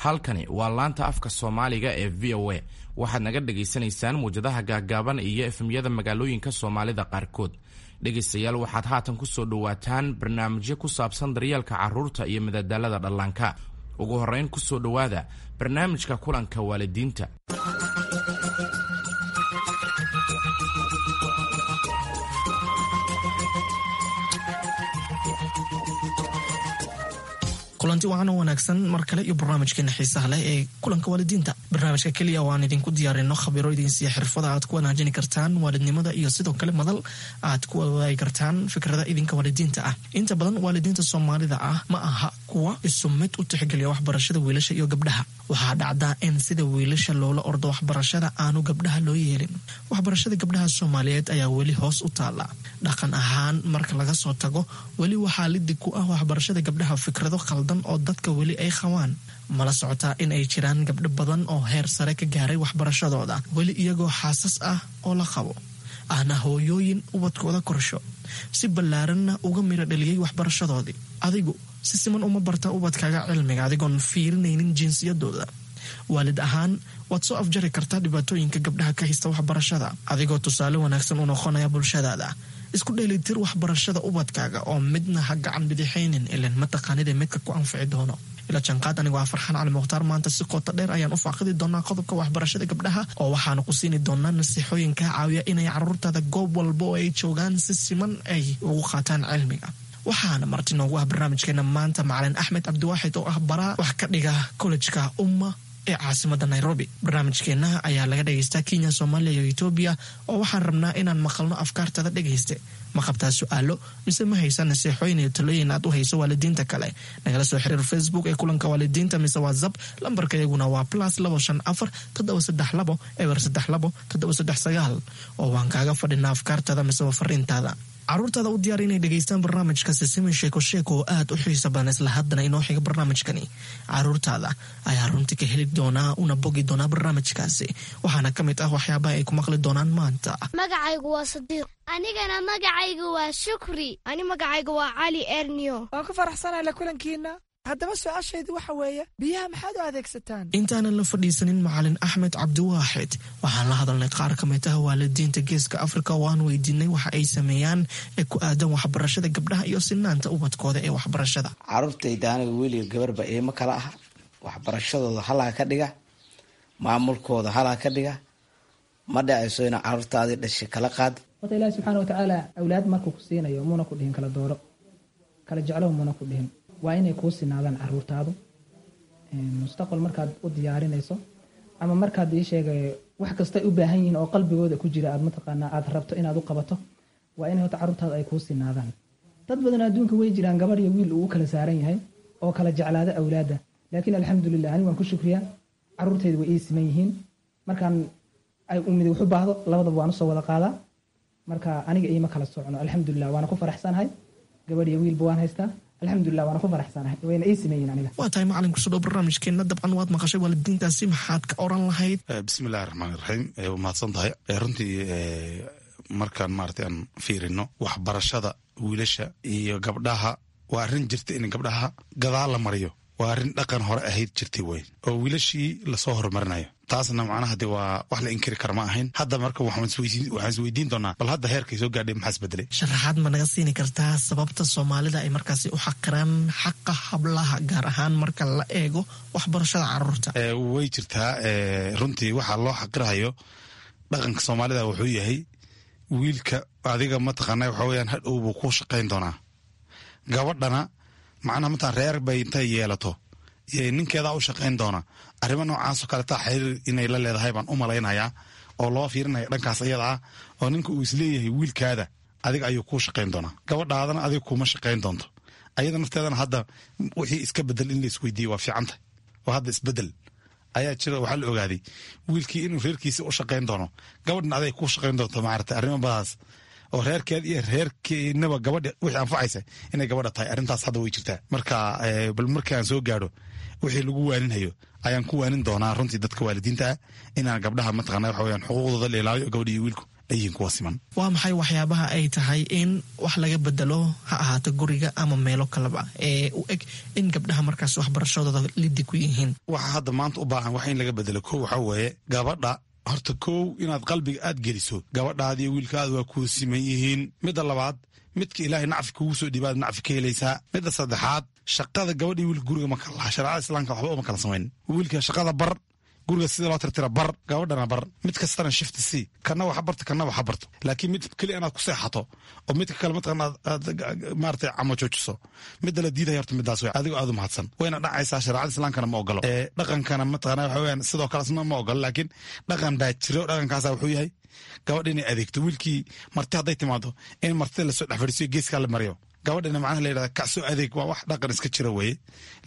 Halkani waa laanta afka Soomaaliga ee VOA. Waxaad naga dhagaysanaysaan muwjadaha gaagaaban iyo FM-yada magaalooyinka Soomaalida qaarkood. Dhegaystayaal, waxaad haatan ku soo dhowaataan barnaamijyo ku saabsan daryeelka carruurta iyo madadaalada dhallaanka. Ugu horrayn, ku soo dhowaada barnaamijka kulanka waalidiinta. Kulanti wacan oo wanaagsan mar kale iyo barnaamijkeena xiisaha leh ee kulanka waalidiinta, barnaamijka keliya oo aan idinku diyaarino khabiro idinsiiya xirfada aad ku wanaajini kartaan waalidnimada iyo sidoo kale madal aad ku wadaagi kartaan fikrada idinka waalidiinta ah. Inta badan waalidiinta Soomaalida ah ma aha kuwa isu mid u tixgeliya waxbarashada wiilasha iyo gabdhaha. Waxaa dhacdaa in sida wiilasha loola ordo waxbarashada aanu gabdhaha loo yeelin. Waxbarashada gabdhaha Soomaaliyeed ayaa weli hoos u taala dhaqan ahaan marka laga soo tago. Weli waxaa lidig ku ah waxbarashada gabdhaha fikrado khaldan oo dadka weli ay qabaan. Mala socotaa in ay jiraan gabdho badan oo heer sare ka gaaray waxbarashadooda, weli iyagoo xaasas ah oo la qabo, ahna hooyooyin ubadkooda korsho, si ballaaranna uga miro dhaliyey waxbarashadoodii? Adigu si siman uma barta ubadkaaga cilmiga adigoon fiirinaynin jinsiyadooda? Waalid ahaan waad soo afjari kartaa dhibaatooyinka gabdhaha ka haysta waxbarashada adigoo tusaale wanaagsan u noqonaya bulshadaada. Isku dheelitir waxbarashada ubadkaaga oo midna ha gacan bidixaynin, ilan mataqaanida midka ku anfici doono. Ila janqaad, anigoo ah Farxaan Cali Mukhtaar. Maanta si qoto dheer ayaan u faaqidi doonaa qodobka waxbarashada gabdhaha, oo waxaanu ku siini doonaa nasiixooyin kaa caawiya inay caruurtaada goob walba oo ay joogaan si siman ay ugu qaataan cilmiga. Waxaana marti noogu ah barnaamijkeena maanta macalin Axmed Cabdiwaaxid oo ah baraa wax ka dhiga kollejka Umma ee caasimada Nairobi. Barnaamijkeenna ayaa laga dhegaystaa Kenya, Soomaaliya iyo Etoobiya, oo waxaan rabnaa inaan maqalno afkaartada. Dhegayste, ma qabtaa su-aalo mise ma haysa nasiixooyin iyo talooyin aad u hayso waalidiinta kale? Nagala soo xiriir Facebook ee kulanka waalidiinta mise WhatsApp. Lambarka iyaguna waa +254 732 032 739, oo waan kaaga fadhinaa afkaartada mise fariintaada. Caruurtaada u diyaar inay dhegaystaan barnaamijka Sisimin Sheeko Sheeko oo aad u xiisa badan. Isla haddana inoo xiga barnaamijkani caruurtaada ayaa runtii ka heli doonaa una bogi doonaa barnaamijkaasi. Waxaana ka mid ah waxyaabaha ay ku maqli doonaan maanta: Magacaygu waa Sadiiq. Anigana magacaygu waa Shukri. Ani magacaygu waa Cali Ernio. Waan ku faraxsanahay la kulankiina. Haddaba su-aashaydu waxa weeye, biyaha maxaad u adeegsataan? Intaanan la fadhiisanin macalin Axmed Cabdiwaaxid, waxaan la hadalnay qaar ka mid ah waalidiinta Geeska Afrika oo aan weydiinay waxa ay sameeyaan ee ku aadan waxbarashada gabdhaha iyo sinaanta ubadkooda ee waxbarashada. Caruurtayda aniga wiiliga gabarba iima kala ah. Waxbarashadooda halaa ka dhiga, maamulkooda halaa ka dhiga. Ma dhacayso ina caruurtaadii dhashay kala qaad. Horta Ilaahi subxaana watacaala awlaad markuu ku siinayo muuna ku dhihin kala dooro, kala jeclow muuna ku dhihin. Waa inay kuu sinaadaan caruurtaadu. Mustaqbal markaad u diyaarinayso ama markaad ii sheegay wax kastay u baahan yihiin oo qalbigooda ku jira aad mataqaanaa aad rabto inaad u qabato, waa inay horta caruurtaadu ay kuu sinaadaan. Dad badan adduunka way jiraan gabadh iyo wiil uu u kala saaran yahay oo kala jeclaada awlaadda, laakiin alxamdulilah, anigu waan ku shukriyaa, caruurtaydu way ii siman yihiin. Markaan ay umid wax u baahdo, labadaba waan usoo wada qaadaa. Marka aniga iima kala socno, alxamdulilah, waana ku faraxsanahay. Gabadh iyo wiilba waan haystaa, alxamdulilah, waana ku faraxsanahay, wayna ii siman yihiin aniga. Waa tahay macalin, kusoo dhow barnaamijkeenna. Dabcan waad maqashay waalidiintaasi, maxaad ka oran lahayd? Bismi illahi raxmaan iraxiim. Waa mahadsan tahay. Runtii markaan maaragtay aan fiirino waxbarashada wiilasha iyo gabdhaha, waa arrin jirta in gabdhaha gadaal la mariyo. Waa arrin dhaqan hore ahayd jirtay wey, oo wiilashii lasoo horumarinayo. Taasna macnaha de waa wax la inkiri kara ma ahayn. Hadda marka waxaan isweydiin doonaa, bal hadda heerkay soo gaadhay maxaa isbedelay? Sharaxaad ma naga siini kartaa sababta Soomaalida ay markaasi u xaqiraan xaqa hablaha, gaar ahaan marka la eego waxbarashada caruurta? Way jirtaa. Runtii waxaa loo xaqirahayo dhaqanka Soomaalida wuxuu yahay wiilka adiga mataqaana waxa weyaan hadhow buu ku shaqayn doonaa. Gabadhana macnaha mataa reer bay intay yeelato ninkeedaa u shaqayn doona. Arrimo noocaasoo kaletaa xiriir inay la leedahay baan u malaynayaa, oo loo fiirinaya dhankaas iyada ah, oo ninka uu isleeyahay wiilkaada adiga ayuu kuu shaqayn doonaa, gabadhaadana adiga kuuma shaqayn doonto. Ayada nafteedana hadda wixii iska bedel in la isweydiiye waa fiicanta, oo hadda isbedel ayaa jira. Waxaa la ogaaday wiilkii inuu reerkiisa u shaqayn doono, gabadhna aday kuu shaqayn doonto. Maarata arrimo badaas oo reerkeed iyo reerkeenaba gabadha wixii anfacaysa inay gabadha tahay, arrintaas hadda way jirtaa. Marka bal markaan soo gaadho wixii lagu waaninhayo ayaan ku waanin doonaa runtii dadka waalidiinta ah inaan gabdhaha mataqana waxa weyaan xuquuqdooda la ilaaliyo, gabadha iyo wiilku Ay yihiin kuwa siman. Waa maxay waxyaabaha ay tahay in wax laga bedelo, ha ahaato guriga ama meelo kaleba, ee u eg in gabdhaha markaas waxbarashadooda lidi ku yihiin? Waxa hadda maanta u baahan wax in laga bedelo, kow waxaa weeye gabadha. Horta kow, inaad qalbiga aad geliso gabadhaadi iyo wiilkaada waa kuu siman yihiin. Midda labaad, midka Ilaahay nacfi kugu soo dhiibaad nacfi ka helaysaa. Midda saddexaad, shaqada gabadha iyo wiilka guriga ma kala laha. Shareecada Islaamka waxba uma kala samayn. Wiilka shaqada bar, guriga sida loo tirtira bar, gabadhana bar. Mid kastana shift c, kana waxa barto, kana waxa barto. Laakiin mid keliya inaad ku seexato oo midka kale mataqana aad maaragtay camo joojiso, midda la diidaya horta midaas wey. Adigoo aad u mahadsan, wayna dhacaysaa. Shareecada Islaamkana ma ogolo, ee dhaqankana mataqana waxa weeyaan sidoo kale isna ma ogolo. Laakiin dhaqan baa jiro. Dhaqankaasa wuxuu yahay gabadha inay adeegto. Wiilkii marti hadday timaado, in martida lasoo dhex fadhiisiyo, geeskaa la mariyo, gabadhina macnaha la yidhahda kacsoo adeeg. Waa wax dhaqan iska jira weeye.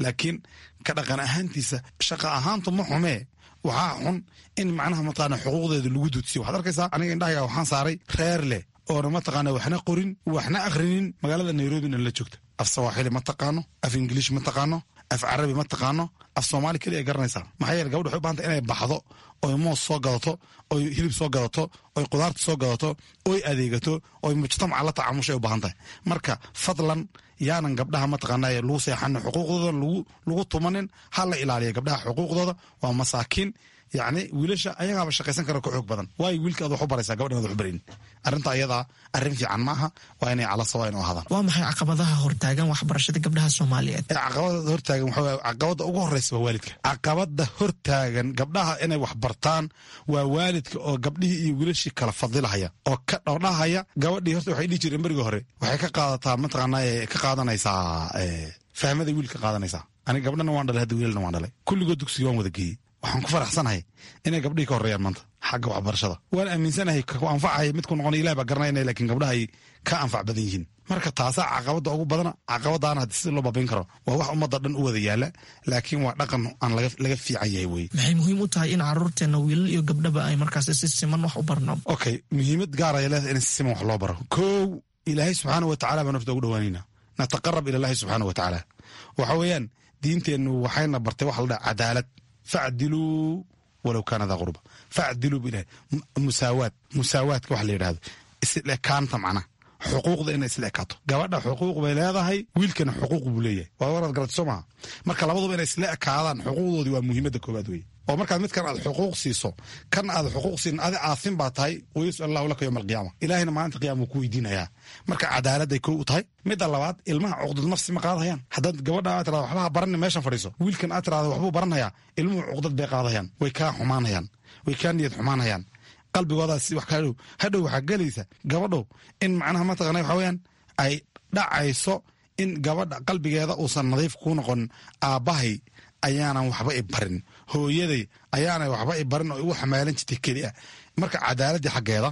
Laakiin ka dhaqan ahaantiisa, shaqa ahaantu ma xumee. Waxaa xun in macnaha mataqaana xuquuqdeeda lagu duudsiyo. Waxaad arkaysaa, aniga indhahayga waxaan saaray reer leh oona mataqaana waxna qorin, waxna akhrinin, magaalada Nairobina la joogta. Af Sawaaxili ma taqaano, af Ingiliish ma taqaano, af Carabi ma taqaano, af Soomaali keliya garanaysaa. Maxaa yeele, gabadha waxay u bahanta inay baxdo oy moos soo gadato, oy hilib soo gadato, oy qudaarta soo gadato, oy adeegato, oy mujtamaca la tacaamushay u baahan tahay. Marka fadlan, yaanan gabdhaha mataqaana lagu seexanin, xuquuqdooda lagu tumanin. Ha la ilaaliya gabdhaha xuquuqdooda, waa masaakiin. Yacni wiilasha ayagaaba shaqaysan kara, ka xoog badan. Waayo wiilka aad wax u baraysaa, gabadhan aad wax u barin? Arrinta ayadaa arrin fiican maaha. Waa inay cala sawa inu ahaadaan. Waa maxay caqabadaha hortaagan waxbarashada gabdhaha Soomaaliyeed? Caqabada hortaagan waxaa weeye, caqabada ugu horeysa waa waalidka. Caqabada hortaagan gabdhaha inay wax bartaan waa waalidka oo gabdhihii iyo wiilashii kala fadilahaya oo ka dhowdhahaya. Gabadhii horta waxay dhihi jireen berigii hore, waxay ka qaadataa mataqaanaa ka qaadanaysaa fahmada wiilka qaadanaysaa. Aniga gabdhana waan dhalay hadda, wiilalna waan dhalay. Kulligood dugsiga waan wada geeyey. Waxaan ku faraxsanahay inay gabdhihii ka horreeyaan maanta xagga waxbarashada. Waan aaminsanahay ku anfacaya midku noqonay Ilaah baa garanayna, laakiin gabdhaha ay ka anfac badan yihiin. Marka taasaa caqabada ugu badana. Caqabadaana haddii sida loo baabin karo waa wax ummadda dhan u wada yaala, laakiin waa dhaqan aan laga fiican yahay wey. Maxay muhiim u tahay in caruurteena wiilal iyo gabdhaba ay markaas si siman wax u barno? Okay, muhiimad gaar ay leedahay in si siman wax loo baro. Kow, Ilaahay subxaana wa tacala baan horta ugu dhawaanayna, nataqarab ila Allahi subxaana wa tacaala. Waxa weeyaan diinteennu waxayna bartay waxa la dhaha cadaalad. Facdiluu walow kaana daa qurba, facdiluu bu Ilahay. Musaawaad, musaawaadka waxa la yidhahdo, isla ekaanta, macnaha xuquuqda inay isla ekaato. Gabadha xuquuq bay leedahay, wiilkana xuquuq buu leeyahay. Waa waraad garatay soo maha? Marka labaduba inay isla ekaadaan xuquuqdoodii waa muhiimadda koowaad weye. Oo markaad midkan aad xuquuq siiso, kan aad xuquuq siin, adi aasin baa tahay. Wayusal Allahu laka yowma alqiyaama. Ilaahayna maalinta qiyaama wuu ku weydiinayaa. Marka cadaaladday kow u tahay. Midda labaad, ilmaha cuqdad nafsi ma qaadayaan. Haddaad gabadha aad tirahdo waxba ha baranin, meeshan fadhiiso, wiilkan aad tirahdo waxbuu baranhayaa, ilmuhu cuqdad bay qaadayaan, way kaa xumaanayaan, way kaa niyad xumaanayaan. Qalbigoodaas wax kaa dhow hadhow waxaa gelaysa gabadhow in macnaha mataqana waxa weeyaan ay dhacayso in gabadha qalbigeeda uusan nadiif kuu noqonin. Aabbahay ayaanan waxba i barin, hooyaday ayaanay waxba i barin oo igu xamaalan jirtay keli ah. Marka cadaaladdii xaggeeda,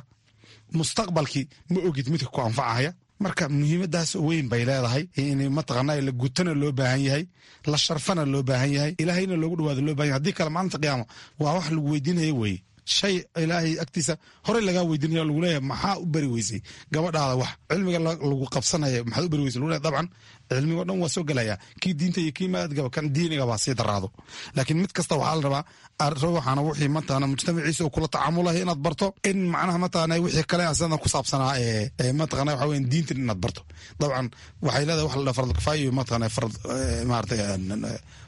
mustaqbalkii ma ogid midka ku anfacaya. Marka muhiimadaas weyn bay leedahay in mataqaana la gutana loo baahan yahay, la sharfana loo baahan yahay, Ilaahayna loogu dhawaado loo baahan yahay. Haddii kale maalinta qiyaama waa wax lagu weydiinaya weeye, shay Ilaahay agtiisa horey lagaa weydiinaya, lagu leeyahay maxaa u bari weysay gabadhaada wax cilmiga lagu qabsanaya, maxaad u bari weysay lagu leeyahay. Dabcan cilmigo dhan waa soo gelaya, kii diinta iyo kii maadgaba, kan diiniga baa sii daraado. Laakiin mid kasta waxaa la rabaa waxaana wixii mataqaana mujtamaciisa uu kula tacaamulayo inaad barto, in macnaha mataqaana wixii kale asana ku saabsanaa ee mataqaana waxa weeyaan diintan inaad barto. Dabcan waxay leedahay wax la dhaha farad kifaaya iyo mataqaana farad maaragtay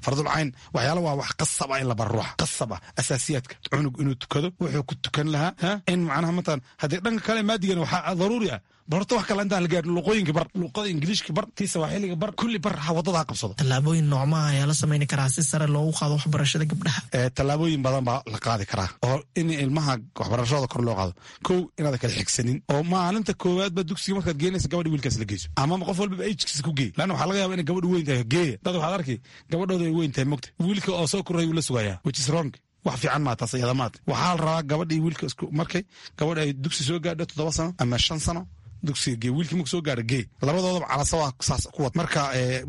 fardul cayn. Waxyaala waa wax qasab ah in la baro ruuxa, qasab ah asaasiyaadka, cunug inuu tukado, wuxuu ku tukan lahaa in macnaha mataqaana. Haddii dhanka kale maadigana waxaa daruuri ah, bal horta wax kale intaan la gaarin, luqooyinka bar, luqada Ingiliishka bar, tii Sawaaxiliga bar, kulli bar, ha waddada ha qabsado. Tallaabooyin noocmaha ayaa la samayni karaa si sare loogu qaado waxbarashada gabdhaha? Tallaabooyin badan baa la qaadi karaa oo in ilmaha waxbarashadooda kor loo qaado. Kow, inaad kala xigsanin oo maalinta koowaad ba dugsiga markaad geenaysa gabadha wiilkaas la geyso, ama qof walbaba age-kiisa ku geey, lanna waxaa laga yaba inay gabadhu weyn tahay. Geeya dad waxaad arki gabadhooda ay weyn tahay, mogta wiilka oo soo koray uu la sugayaa, which is wrong. Wax fiican maa taas iyada maata. Waxaa la rabaa gabadha iyo wiilka isku markay gabadha ay dugsi soo gaadho 7 sano ama 5 sano, dugsiga gee. Wiilkii marku soo gaadho gee. Labadoodaba calasawa saas ku wad. Marka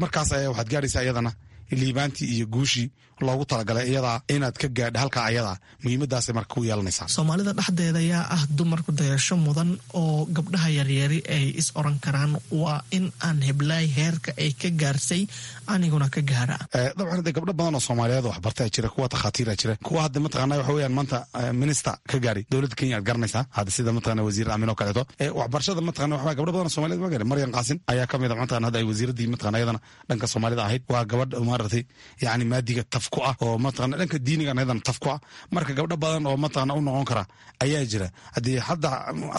markaas ayaa waxaad gaadhaysaa iyadana Liibaantii iyo guushii loogu talagalay iyadaa inaad ka gaadha halkaa ayadaa muhiimadaasay marka ku yeelanaysaa. Soomaalida dhexdeeda yaa ah dumarku dayasho mudan oo gabdhaha yaryari ay is oran karaan waa in aan heblaay heerka ay ka gaarsay aniguna ka gaara? Dabcan de gabdho badan oo soomaaliyeed waxbartaa jira, kuwa takhaatiira jira, kuwa hadda mataqaana waxa weeyaan maanta minister ka gaari dowladda Kenya aad garanaysaa hadda, sida mataqana wasiir Aamin oo kaleeto. Waxbarashada mataqana waxa gabdho badan oo soomaaliyeed ma gaari. Maryan Qaasin ayaa ka mid a mataqana hadda ay wasiiraddii mataqana iyadana dhanka soomaalida ahayd. Waa gabadh maaragtay yacni maadiga taf ku ah oo mataqana dhanka diinigan iyadana taf ku ah. Marka gabdho badan oo mataqana u noqon kara ayaa jira. Haddii hadda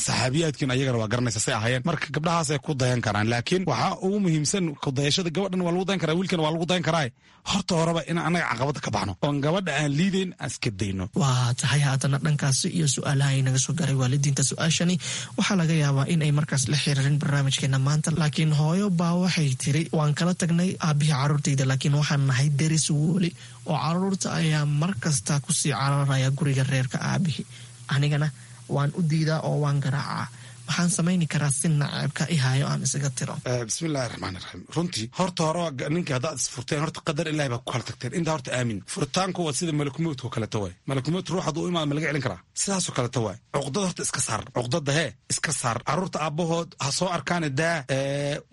saxaabiyaadkiin ayagana waa garanaysa say ahaayeen. Marka gabdhahaasay ku dayan karaan, laakiin waxaa ugu muhiimsan kudayashada gabadhan waa lagu dayan karaa, wiilkan waa lagu dayan karaa. Horta horeba in annaga caqabada ka baxno oon gabadha aan liidayn aan iska dayno. Waa tahay. Haatana dhankaasi iyo su-aalaha ay naga soo gaaray waalidiinta. Su-aashani waxaa laga yaabaa in ay markaas la xiriirin barnaamijkeena maanta, laakiin hooyo baa waxay tiri: waan kala tagnay aabihii caruurtayda, laakiin waxaan nahay deris weli oo caruurta ayaa mar kasta kusii cararaya guriga reerka aabihii, anigana waan u diidaa oo waan garaacaa. Waxaan samayni karaa si naceebka i hayo aan isaga tiro? Bismillahi raxmaan iraxiim. Runtii horta hore ninka haddaad isfurteen, horta qadar Ilahi baa ku kala tagteen. Intaa horta aamin. Furitaanku waa sida malakumowdka oo kaleto waay. Malakumowd ruux hadduu u imaado ma laga celin karaa? Sidaasoo kaleto waay. Cuqdada horta iska saar, cuqdada hee iska saar. Carruurta aabbahood ha soo arkaane daa.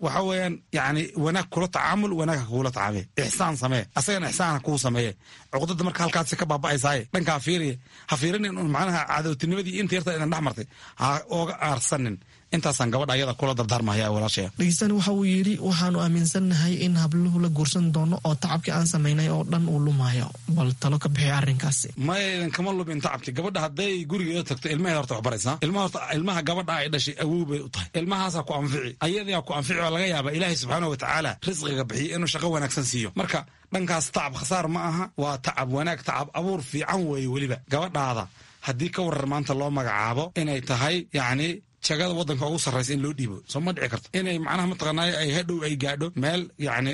Waxa weeyaan yacni wanaag kula tacaamul, wanaag ha kugula tacaamee, ixsaan samee, asagana ixsaan ha kuu sameeye. Cuqdada marka halkaasi ka baaba'aysaaye dhankaa fiiriye, ha fiirinin un macnaha cadowtinimadii inta yarta idan dhex martay ha ooga aarsan. Intaasaan gabadha ayada kula dardaarmahaya walaashaya. Dhegeystani waxa uu yidhi: waxaanu aaminsannahay in habluhu la guursan doono oo tacabkii aan samaynay oo dhan uu lumayo. Bal talo ka bixi arrinkaasi. Maya, kama lumin tacabki. Gabadha hadday gurigeeda tagto ilmaheeda horta waxbaraysaa. Ilmaha horta, ilmaha gabadha ay dhashay awow bay u tahay. Ilmahaasaa ku anfici, ayadaa ku anfici oo laga yaaba Ilaahay subxaana watacaala risqiga bixiyo inuu shaqo wanaagsan siiyo. Marka dhankaas tacab khasaar ma aha, waa tacab wanaag, tacab abuur fiican weeye. Weliba gabadhaada haddii ka warar maanta loo magacaabo inay tahay yacni jagada waddanka ugu sarraysa in loo dhiibo, soo ma dhici karto inay macnaha mataqaanaayo ay hadhow ay gaadho meel yacni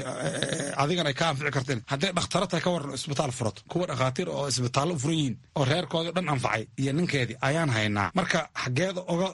adigan ay ka anfici karteen? Hadday dhakhtaro tahay ka waran isbitaal furato, kuwa dhakhaatiir oo isbitaallo u furan yihiin oo reerkoodii dhan anfacay iyo ninkeedii ayaan haynaa. Marka xaggeeda oga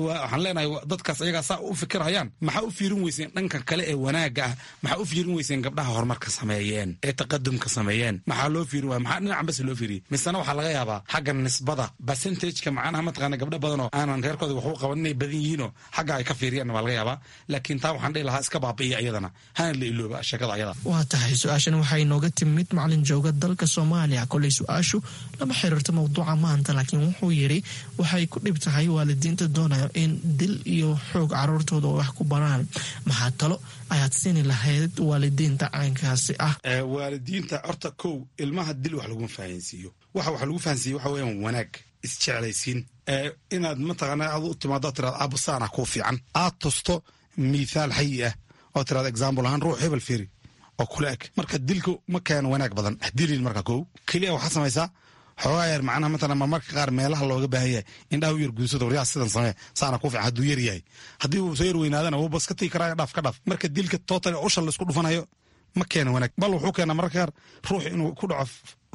waxaan leenahay dadkaas ayagaa saa u fikirhayaan, maxaa u fiirin weyseen dhanka kale ee wanaagga ah? Maxaa u fiirin weyseen gabdhaha horumarka sameeyeen ee taqadumka sameeyeen? Maxaa loo fiirin waaya? Maxaa dhinacan bas loo fiiriyey? Misena waxaa laga yaabaa xagga nisbada percentageka macnaha mataqaana gabdho badan oo aanan reerkooda waxu qaban inay badan yihiinoo xagga ay ka fiiriyaan waa laga yaabaa. Laakiin taa waxaan dhihi lahaa iska baabi'iya iyadana, hana la ilooba sheekada ayada. Waa tahay. Su-aashan waxay nooga timid macalin jooga dalka Soomaaliya. Koley su-aashu lama xiriirto mowduuca maanta, laakiin wuxuu yidhi waxay ku dhib tahay waalidiinta doonayo in dil iyo xoog caruurtooda wax ku baraan. Maxaa talo ayaad siini lahayd waalidiinta caynkaasi ah? Waalidiinta horta kow, ilmaha dil wax laguma fahansiiyo. Waxa lagu fahansiiyo waxa weeyaan wanaag, isjeclaysiin, inaad mataqaana aad u timaado tiraad aabbo saana kuu fiican, aad tusto mithaal xayi ah oo tiraad example ahaan ruux hebel fiiri oo kula eg. Marka dilku ma keeno wanaag badan, dilin. Marka kow keliya waxaad samaysaa xoogaa yar macnaha matalan marmarka qaar meelaha looga baahan yahay indhaha u yar guudsada, waryaa sidan samee, saana kuu fiican. Hadduu yar yahay, haddii uu soo yar weynaadana wuu bas ka tigi karaa, dhaaf ka dhaaf. Marka dilka total usha la isku dhufanayo ma keeno wanaag, bal wuxuu keenaa mararka qaar ruux inuu ku dhaco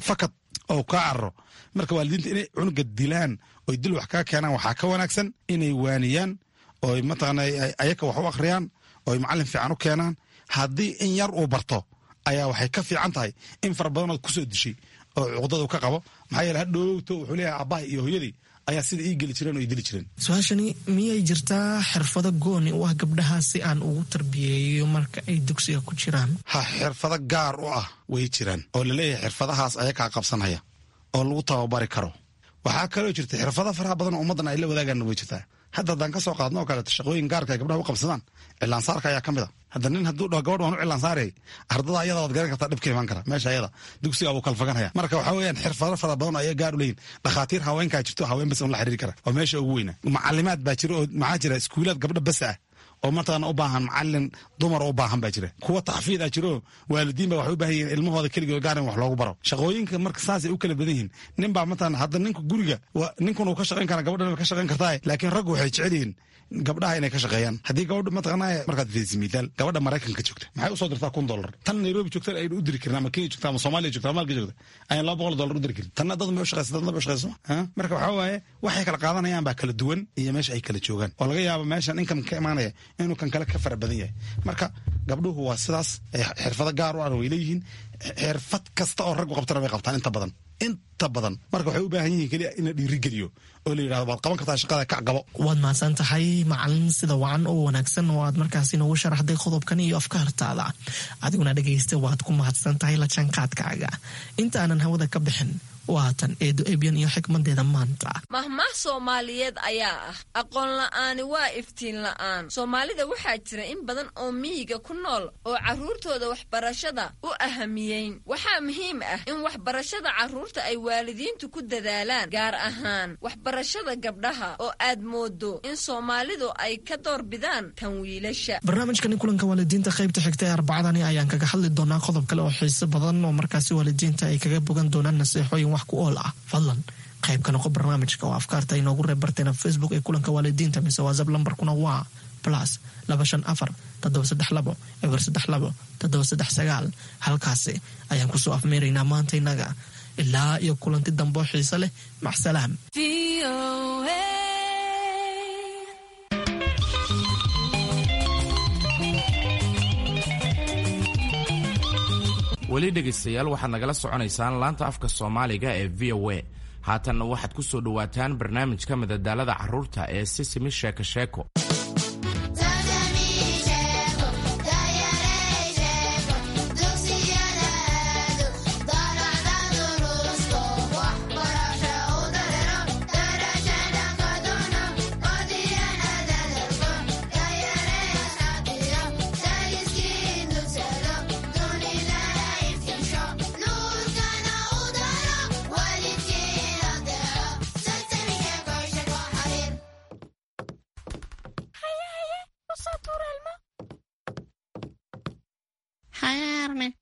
fakad oo kaa cararo. Marka waalidiinta inay cunuga dilaan oy dil wax kaga keenaan waxaa ka wanaagsan inay waaniyaan oy mataqaana ayaka wax u akhriyaan oy macallin fiican u keenaan. Haddii in yar uu barto ayaa waxay ka fiican tahay in fara badanood kusoo dishay oo cuqdadu ka qabo. Maxaa yeele hadhowto wuxuu leeyahay aabbaha iyo hooyadii ayaa sida ii geli jireen oo ii dili jireen. Su-aashani: miyay jirtaa xirfado gooni u ah gabdhaha si aan ugu tarbiyeeyo marka ay dugsiga ku jiraan? Ha, xirfado gaar u ah way jiraan oo laleeyahay xirfadahaas ayakaa qabsanaya oo lagu tababari karo. Waxaa kaloo jirta xirfado faraha badan oo ummaddan ay la wadaagaan way jirtaa. Hadda haddaan ka soo qaadno oo kaleeto shaqooyin gaarka ay gabdhaha u qabsadaan, cilaansaarka ayaa ka mid a. Hadda nin hadduu dhaho gabadh waan u cilaansaarayay, ardada ayada waad garan kartaa dhibka imaan kara meesha ayada, dugsiga wuu kala faganaya. Marka waxaa weeyaan xirfado fara badan oo ayaa gaar u leeyihin. Dhakhaatiir haweenkaa jirto, haween bas un la xiriiri kara oo meesha ugu weyna. Macalimaad baa jira oo maxaa jira iskuulaad gabdho bas ah oo mataqaana u baahan macalin dumar u baahan baa jira. Kuwa taxfiid ah jiro, waalidiin baa waxay u baahan yihiin ilmahooda keligood gaar in wax loogu baro. Shaqooyinka marka saasay u kala badan yihiin. Nin baa mataqaana hadda ninku guriga ninkun uu ka shaqayn karaa, gabadhan way ka shaqayn kartaa, laakiin raggu waxay jecel yihiin gabdhaha inay ka shaqeeyaan. Haddii gabadha mataqaanaa markaad fiiriso mithaal gabadha Maraykanka joogta maxay usoo dirtaa $1000, tan Nairobi joogta aynu u diri karin ama Kenya joogta ama Soomaaliya joogta ama Malka joogta ayaan $200 u diri karin. Tanna dad ma u shaqeysa, dadna ma u shaqeyso. Marka waxaa waaye waxay kala qaadanayaan baa kala duwan iyo meesha ay kala joogaan oo laga yaabo meeshan income ka imaanaya inuu kan kale ka fara badan yahay. Marka gabdhuhu waa sidaas, xirfado gaar u ah way leeyihiin. Xirfad kasta oo raggu qabtana way qabtaan inta badan, inta badan. Marka waxay u baahan yihiin keliya in la dhiirigeliyo oo la yidhahdo waad qaban kartaa shaqada, kac, qabo. Waad mahadsan tahay, macalin, sida wacan oo wanaagsan oo aad markaasi noogu sharaxday qodobkan iyo afkaartaada. Adiguna dhegaysta, waad ku mahadsan tahay la jaanqaadkaaga. Inta aanan hawada ka bixin, waatan Eedo Ebyan iyo xikmadeeda maanta. Mahmaah Soomaaliyeed ayaa ah: "Aqoon la'aani waa iftiin la'aan." Soomaalida waxaa jira in badan oo miyiga ku nool oo carruurtooda waxbarashada u ahamiyeyn. Waxaa muhiim ah in waxbarashada carruurta ay waalidiintu ku dadaalaan, gaar ahaan waxbarashada gabdhaha oo aad moodo in Soomaalidu ay ka doorbidaan tan wiilasha. Barnaamijkani kulanka waalidiinta qaybta xigta ee Arbacadani ayaan kaga hadli doonaa qodob kale oo xiiso badan oo markaasi waalidiinta ay kaga bogan doonaan naseexooyin wax ku ool ah. Fadlan qayb ka noqo barnaamijka oo afkaarta inoogu reeb barteena Facebook ee kulanka waalidiinta mise WhatsApp. Lambarkuna waa +254 732 032 739. Halkaasi ayaan kusoo afmeeraynaa maanta innaga. Ilaa iyo kulanti dambo xiise leh, macsalaam. Weli dhegaystayaal, waxaad nagala soconaysaan laanta afka Soomaaliga ee VOA. Haatanna waxaad ku soo dhowaataan barnaamijka madadaalada carruurta ee Sisimi Sheeko Sheeko.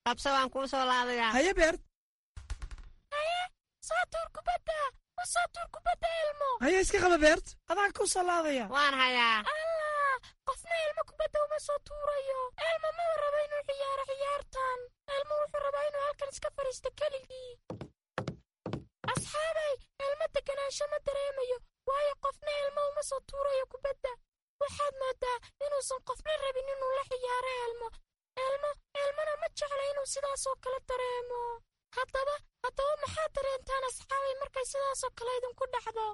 Qabso, waan kuu soo laadayaa. Haye, Beert. Haye, soo tuur kubadda, u soo tuur kubadda Elmo. Haye, iska qaba Beert, adaan kuu soo laadaya. Waan hayaa. Allah, qofna Elmo kubadda uma soo tuurayo. Elmo ma rabo inuu ciyaaro ciyaartan. Elmo wuxuu rabaa inuu halkan iska fadhiisto keligii. Asxaabay, Elmo deganaansho ma dareemayo, waayo qofna Elmo uma soo tuurayo kubadda. Waxaad moodaa inuusan qofna rabin inuu la ciyaaro Elmo. Elmo, Elmona ma jecla inuu sidaasoo kale dareemo. Haddaba maxaad dareentaan, asxaabay, markay sidaasoo kale idinku dhacdo?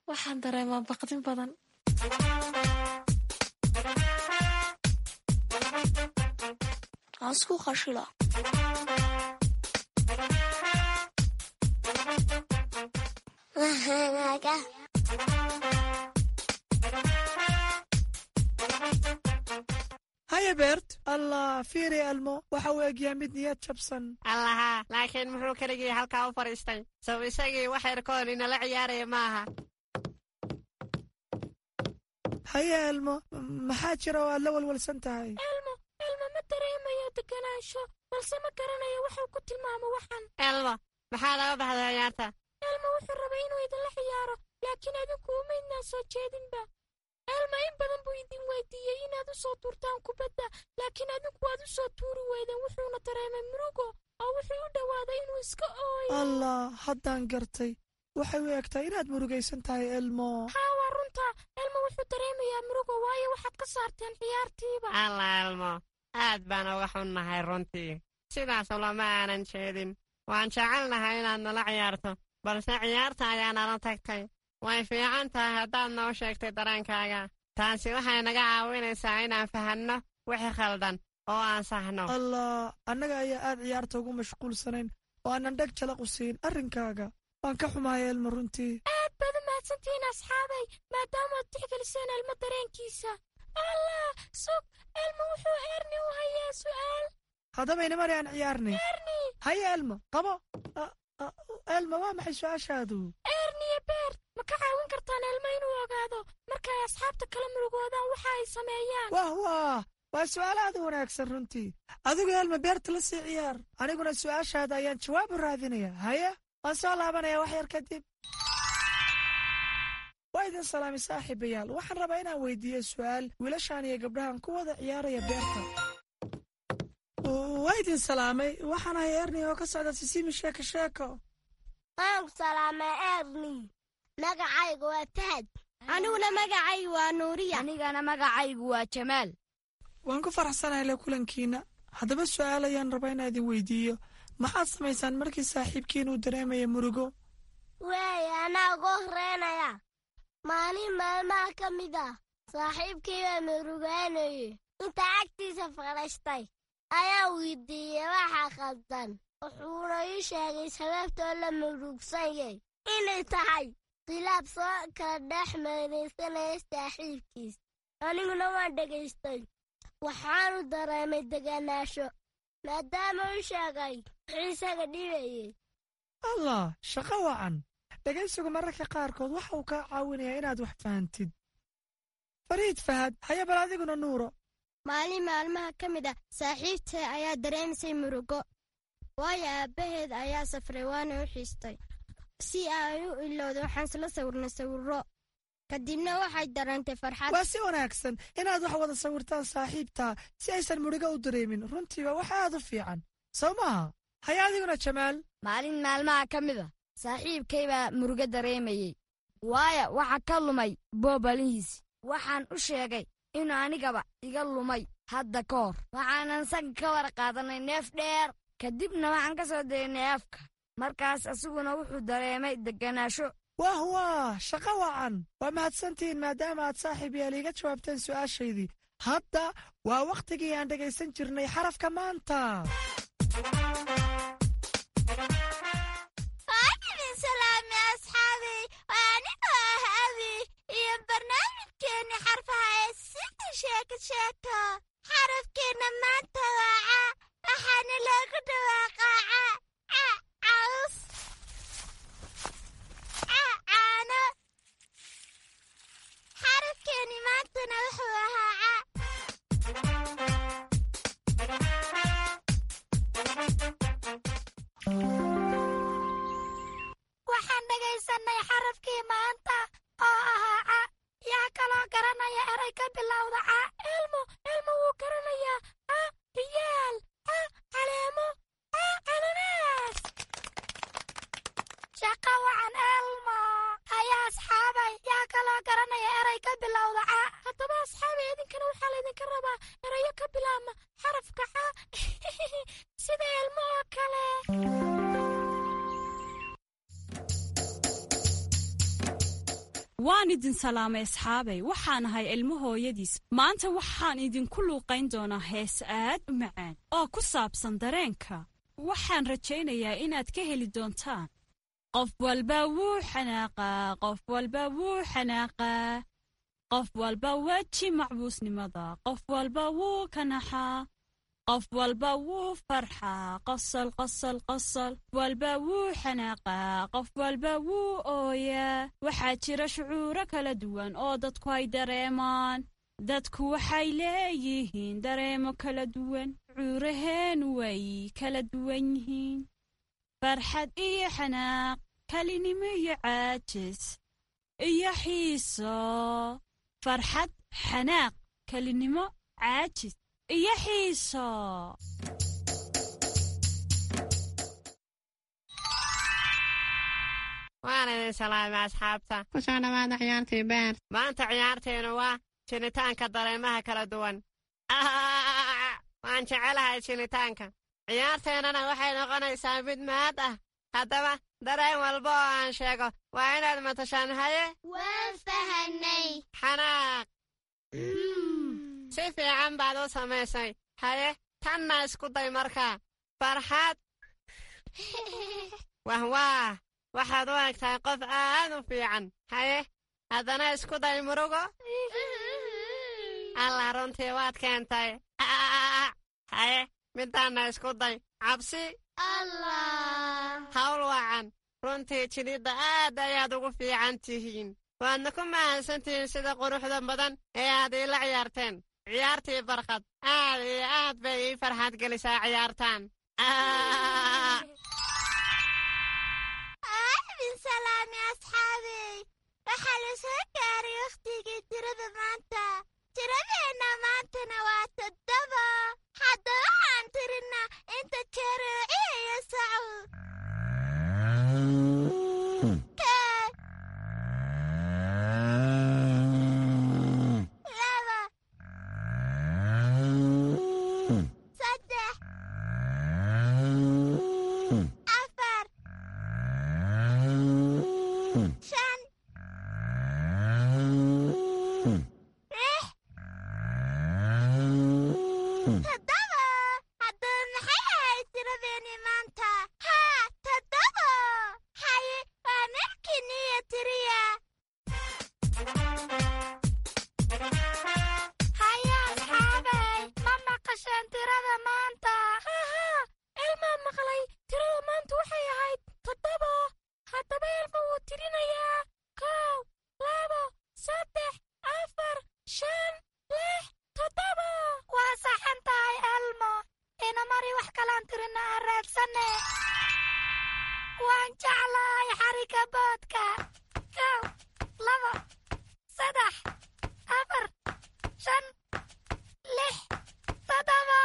Waxaan dareemaa baqdin badan. Aan isku qashila. Wahanaga. Haye, Beert. Allah, fiiri Elmo, waxa uu egyaa mid niyad jabsan. Allaha, laakiin muxuu keligii halkaa u fadhiistay? Sow isagii wax yarkoon inala ciyaaraya maaha? Haye Elmo, maxaa jira oo aad la walwalsan tahay? Elmo, Elmo ma dareemayo deganaansho, balse ma garanayo waxuu ku tilmaamo waxan. Elmo, maxaa laga baxday ciyaarta? Elmo wuxuu rabay inuu idinla ciyaaro, laakiin adinku uma idnaan soo jeedinba. Elmo in badan buu idin weydiiyey inaad u soo tuurtaan kubadda, laakiin adinku waad u soo tuuri weydeen. Wuxuuna dareemay murugo oo wuxuu u dhowaaday inuu iska ooyo. Allah, haddaan gartay. Waxay u egtahay inaad murugaysan tahay, Elmo. Haa, waa runta. Elmo wuxuu dareemayaa murugo, waayo waxaad ka saarteen ciyaartiiba. Allah Elmo, aad baan uga xunnahay runtii. Sidaas lama aanan jeedin. Waan jecelnahay inaad nala ciyaarto, balse ciyaarta ayaa nala tagtay. Way fiican tahay haddaad noo sheegtay dareenkaaga. Taasi waxay naga caawinaysaa inaan fahanno wixii khaldan oo aan saxno. Allah, annaga ayaa aad ciyaarta ugu mashquulsanayn oo aanan dheg jalaq u siin arrinkaaga. Waan ka xumahay Elmo runtii. Aad baad u mahadsantihiin, asxaabay, maadaamaad tixgeliseen Elmo dareenkiisa. Allah, sug, Elmo wuxuu Erni u hayaa su'aal. Haddaba inamari aan ciyaarnay. Erni. Haye Elmo, qabo. Elmo, waa maxay su-aashaadu? Erni iyo Beert, ma ka caawin kartaan Elmo inuu ogaado markay asxaabta kala murugoodaan waxa ay sameeyaan? Wah wah, waa su'aal aad u wanaagsan runtii. Adigu Elmo Beerta la sii ciyaar, aniguna su'aashaada ayaan jawaab u raadinaya. Haye, waan soo laabanaya wax yar kadib. Waa idin salaamay, saaxiibayaal. Waxaan rabaa inaan weydiiyo su'aal wiilashaan iyo gabdhahan ku wada ciyaaraya beerta. Waa idin salaamay. Waxaan ahay Erni oo ka socda Sisimi Sheeko Sheeko. Waan ku salaamay, Erni. Magacayga waa Fahad. Aniguna magacaygu waa Nuuriya. Anigana magacaygu waa Jamaal. Waan ku faraxsanahay la kulankiina. Haddaba su'aal ayaan rabaa inaa idin weydiiyo. Maxaad samaysaan markii saaxiibkiin uu dareemaya murugo? Waay, anaa ugu horeynaya. Maalin maalmaha ka mid ah saaxiibkii baa murugaanayey. Inta agtiisa fadhiistay ayaa weydiiyey waxa khaldan. Wuxuuna ii sheegay sababtoo la murugsanyay inay tahay khilaaf soo kala dhex marinaysanaya saaxiibkiis. Aniguna waan dhegaystay. Waxaanu dareemay deganaasho maadaama uu sheegay wuxuu isaga dhibayey. Allah, shaqo wacan. Dhegaysigu mararka qaarkood waxa uu kaa caawinayaa inaad wax fahantid. Fariid Fahad, haya bal adiguna Nuuro. Maalin maalmaha ka mid ah saaxiibtay ayaa dareemisay murugo, waayo aabbaheed ayaa safray waana u xiistay. Si ay u ilowda waxaan isla sawirnay sawirro, kadibna waxay dareentay farxad. Waa si wanaagsan inaad wax wada sawirtaan saaxiibtaa si aysan murugo u dareemin. Runtii waa wax aad u fiican, soo maaha? Haya adiguna Jamaal. Maalin maalmaha ka mid a saaxiibkay baa murugo dareemayey, waayo waxa ka lumay boobalihiisi. Waxaan u sheegay inuu anigaba iga lumay hadda ka hor. Waxaanan sanka ka war qaadanay neef dheer, kadibna waxaan ka soo daynay afka. Markaas asiguna wuxuu dareemay degganaasho. Wah wah, shaqo wacan. Waa mahadsantihiin maadaama aad saaxiib yaal iiga jawaabteen su'aashaydii. Hadda waa wakhtigii aan dhegaysan jirnay xarafka maanta. Waan idin salaamay asxaabey. Waa anigoo ah Abi iyo barnaamijkeenni xarfaha ee Sida Sheeko Sheeko. Xarafkeenna maanta waa ca, waxaana loogu dhawaaqaa ca. Ca caws, ca caano. Xarafkeenni maantana wuxuu ahaa ca. Waxaan dhegaysanay xarafkii maanta oo ahaa ca. Yaa kaloo garanaya eray ka bilowda ca? Elmo, Elmo wuu garanayaa. Ca riyaal, ca caleemo, ca cananaas. Shaqo wacan, Elmo. Haya asxaabay, yaa kaloo garanaya eray ka bilowda ca? Haddaba asxaabay, idinkana waxaa laydinka rabaa erayo ka bilaabma xarafka ca, sida Elmo oo kale. Waan idin salaamay asxaabay. Waxaan ahay Ilmo hooyadiis. Maanta waxaan idinku luuqayn doonaa hees aad u macaan oo ku saabsan dareenka. Waxaan rajaynayaa inaad ka heli doontaan. Qof walba wuu xanaaqaa, qof walba wuu xanaaqaa, qof walba weji macbuusnimada, qof walba wuu kanaxaa, qof walba wuu farxaa, qosol qosol qosol, walba wuu xanaaqaa, qof walba wuu ooyaa. Waxaa jira shucuuro kala duwan oo dadku ay dareemaan. Dadku waxay leeyihiin dareemo kala duwan. Shucuuraheenu way kala duwan yihiin: farxad iyo xanaaq, kalinimo iyo caajis iyo xiiso. Farxad, xanaaq, kalinimo, caajis iyo xiiso. Waan idin salaamay asxaabta. Ku soo dhawaada ciyaartii beer. Maanta ciyaarteenu waa jinitaanka dareemaha kala duwan. Waan jecelahay jinitaanka. Ciyaarteennana waxay noqonaysaa mid mahad ah. Haddaba dareen walba oo aan sheego waa inaad matashaan. Haye? Waan fahanay. Xanaaq. Si fiican baad u samaysay. Haye, tanna isku day markaa. Farxad. Wahwaah, waxaad u egtahay qof aad u fiican. Haye, haddana isku day murugo. Allah, runtii waad keentay. Haye, midaanna isku day cabsi. Allah. Hawl wacan. Runtii jilidda aad ayaad ugu fiican tihiin, waadna ku mahadsantihiin sida quruxda badan ee aad iila ciyaarteen ciyaartii barqad. Aad iyo aad bay ii farxad gelisaa ciyaartaan. Aadin salaami asxaabey. Waxaa la soo gaaray wakhtigii tirada maanta. Tiradeenna maantana waa 7. Haddaba waxaan tirinaa inta jeer uu ciyayo sacu. Kow. wax kalaan tirina aan raadsanne. Waan jeclahay xarika boodka. 1, 2, 3, 4, 5, 6, 7.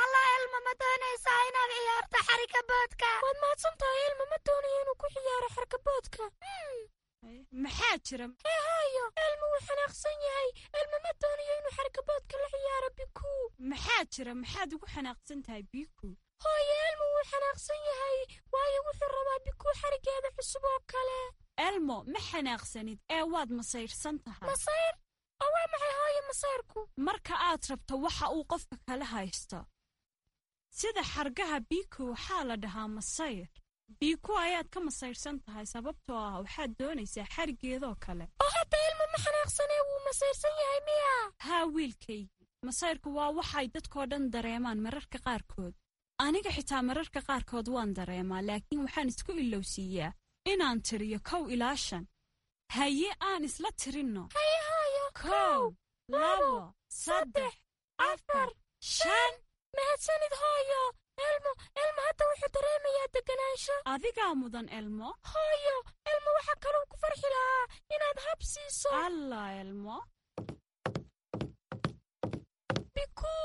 Alla Elmo, ma doonaysaa inaad ciyaarto xarika boodka? Waad mahadsan tahay Elmo, ma doonayo inuu ku ciyaaro xarika boodka. Maxaa jira? Hee hooyo, Elmo wuu xanaaqsan yahay. Elmo ma doonayo inuu xarika boodka la ciyaaro Biku. Maxaa jira? Maxaad ugu xanaaqsan tahay Biku? Hooyo, Elmo wuu xanaaqsan yahay, waayo wuxuu rabaa Biku xarigeeda cusub oo kale. Elmo, ma xanaaqsanid ee waad masayrsan tahay. Masayr? Oo waa maxay hooyo masayrku? Marka aad rabto waxa uu qofka kala haysto, sida xargaha Biku, waxaa la dhahaa masayr. Biku ayaad ka masayrsan tahay sababtoo ah waxaad doonaysaa xarigeedoo kale. Oo hadda Elmo ma xanaaqsanee wuu masayrsan yahay miya? Haa wiilkaygii, masayrku waa waxay dadkoo dhan dareemaan mararka qaarkood. Aniga xitaa mararka qaarkood waan dareemaa, laakiin waxaan isku ilowsiiyaa inaan tiriyo 1 ilaa 5. Haye, aan isla tirinno. Haye hooyo. 1, 2, 3, 4, 5. Mahadsanid hooyo. Elmo, Elmo hadda wuxuu dareemayaa deganaansho. Adigaa mudan Elmo. Hooyo, Elmo waxaa kaluu ku farxi lahaa inaad hab siiso. Alla Elmo. Biku,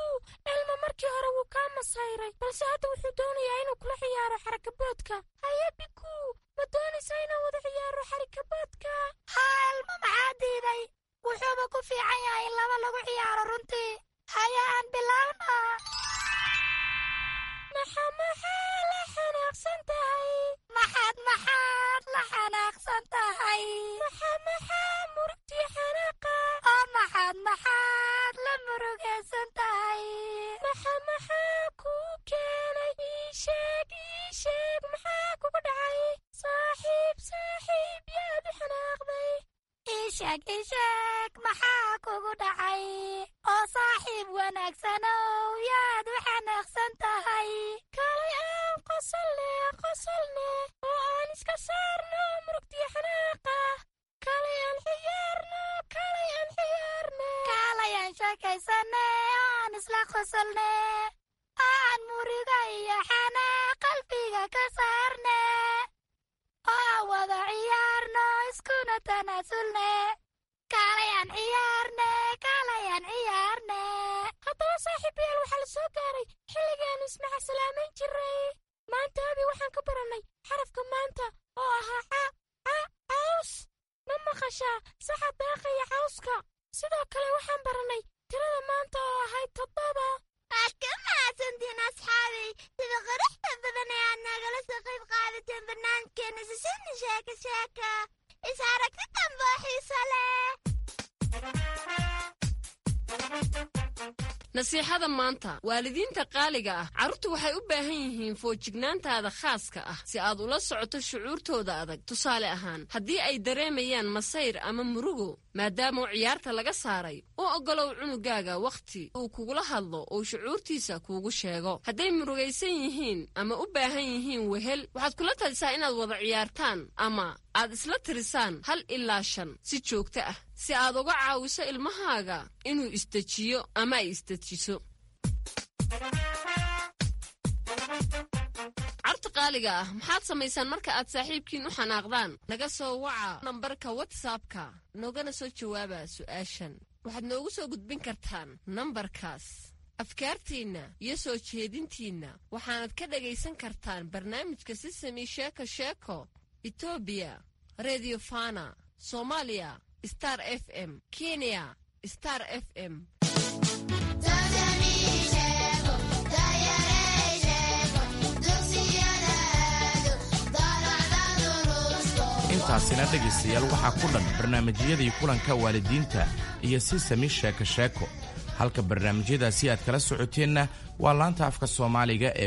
Elmo markii hore wuu kaa masayray, balse hadda wuxuu doonayaa inuu kula ciyaaro xarakaboodka. Haye Biku, ma doonaysaa inaan wada ciyaaro xarikaboodka? Haa Elmo, maxaa diiday? Wuxuuba ku fiican yahay in laba lagu ciyaaro runtii. Haye aan bilaawna. Maxaa maxaa la xanaaqsan tahay? Maxaad maxaad la xanaaqsan tahay? Maxaa maxaa murugtii xanaaqa? Oo maxaad maxaad la murugaysan tahay? Maxaa maxaa kuu keenay? Ii sheeg, ii sheeg, maxaa kugu dhacay? Saaxiib, saaxiib, yaad u xanaaqday? Ii sheeg, ii sheeg, maxaa kugu dhacay? Oo saaxiib wanaagsanow, yaad u xanaaqsan tahay? Kaalay aan qosolne, qosolne, oo aan iska saarno murugtiyo xanaaqa. Kaalay aan ciyaarno, kaalay aan ciyaarne. Kaalay aan sheekaysane, aan isla qosolne, aan muruga iyo xanaaq qalbiga ka saarne, oo aan wada ciyaarno iskuna tanaasulne. Kaalay aan ciyaarne, kaalay aan ciyaarne. Haddaba saaxiibayaal, waxaa la soo gaaray xilligaannu ismaca salaamayn jiray. Maanta abi waxaan ka barannay xarafka maanta oo ahaa ca, ca, caws. Ma maqashaa saxa daaqaya cawska? Sidoo kale waxaan barannay tirada maanta oo ahayd 7. Waad ka mahadsantiin asxaabay sida quruxda badan ee aad nagala soo qayb qaadateen barnaamijkeena Sisini Sheeko Sheeko. Is aragti dambe oo xiiso leh. Nasiixada maanta, waalidiinta qaaliga ah, carruurtu waxay u baahan yihiin foojignaantaada khaaska ah si aad ula socoto shucuurtooda adag. Tusaale ahaan, haddii ay dareemayaan masayr ama murugo maadaama ciyaarta laga saaray, u oggolow cunugaaga wakhti uu kugula hadlo oo shucuurtiisa kuugu sheego. Hadday murugaysan yihiin ama u baahan yihiin wehel, waxaad kula talisaa inaad wada ciyaartaan ama aad isla tirisaan 1 ilaa 5 si joogto ah, si aad uga caawiso ilmahaaga inuu isdejiyo ama ay isdejiso. Carta qaaliga ah, maxaad samaysaan marka aad saaxiibkiin u xanaaqdaan? Naga soo waca nambarka WhatsAppka, noogana soo jawaaba su'aashan. Waxaad noogu soo gudbin kartaan nambarkaas afkaartiinna iyo soo jeedintiinna. Waxaanad ka dhagaysan kartaan barnaamijka Sisami Sheeko Sheeko Etoobiya Redio Fana, Soomaaliya Star FM, Kenya Star FM. Intaasina dhegaystayaal waxaa ku dhan barnaamijyadii kulanka waalidiinta iyo Sisami Sheeko Sheeko. Halka barnaamijyadaasi aad kala socoteenna waa laanta afka Soomaaliga ee